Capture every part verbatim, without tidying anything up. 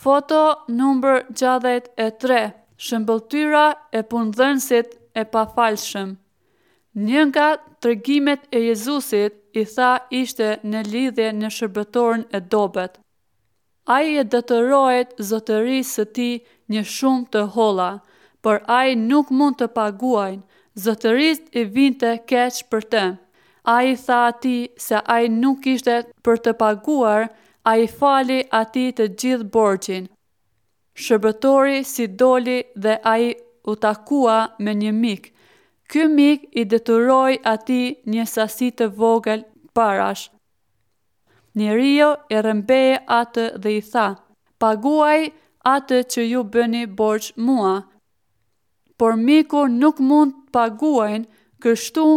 Foto numër gjashtëdhjetë e tre Shëmbëlltyra e punëdhënësit e pafalshëm. Një nga tregimet e Jezusit i tha ishte në lidhje në shërbëtorin e dobët. Ai i detyrohet zotërisë së tij një shumë të holla, por ai nuk mund të paguajnë. Zotërisë i vinte keq për të. Ai i tha atij se ai nuk kishte për të paguar, ai i fali atij të gjithë borxhin. Shërbëtori si doli dhe ai u takua me një mik. Ky mik i detyroi atij një sasi të vogël parash. Njeriu e rrëmbeu atë dhe i tha, paguaj atë që ju bëni borxh mua. Por miku nuk mund të paguajnë, kështu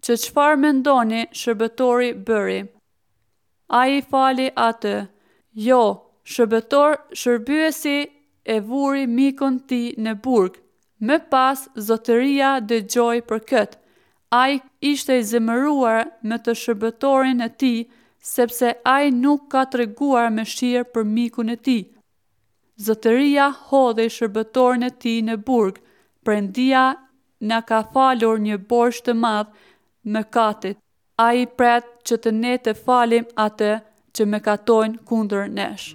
që çfarë mendoni shërbëtori bëri? Ai i fali atë. Jo, shërbëtor shërbyesi e vuri mikun tij në burg. Më pas zotëria dëgjoi për këtë. Ai ishte i zemëruar me të shërbëtorin e tij, sepse ai nuk ka treguar mëshirë për mikun e tij. Zotëria hodhi shërbëtorin e tij në burg. Perëndia na ka falur një borxh të madh mëkatit. Ai pret që të ne të falim atë që mëkatojnë kundër nesh.